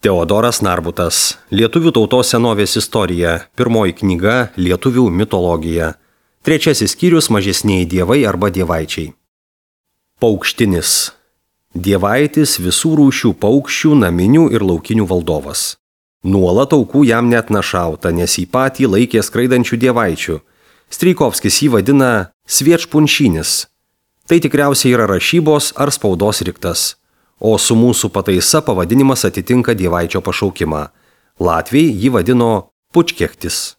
Teodoras Narbutas. Lietuvių tautos senovės istorija. Pirmoji knyga Lietuvių mitologija. Trečiasis skyrius Mažesnieji dievai arba dievaičiai. Paukštinis. Dievaitis visų rūšių paukščių, naminių ir laukinių valdovas. Nuolat aukų jam net našauta, nes jį patį laikė skraidančių dievaičių. Strijkovskis jį vadina sviečpunšinis. Tai tikriausiai yra rašybos ar spaudos riktas. O su mūsų pataisa pavadinimas atitinka dievaičio pašaukimą. Latviai jį vadino pučkechtis.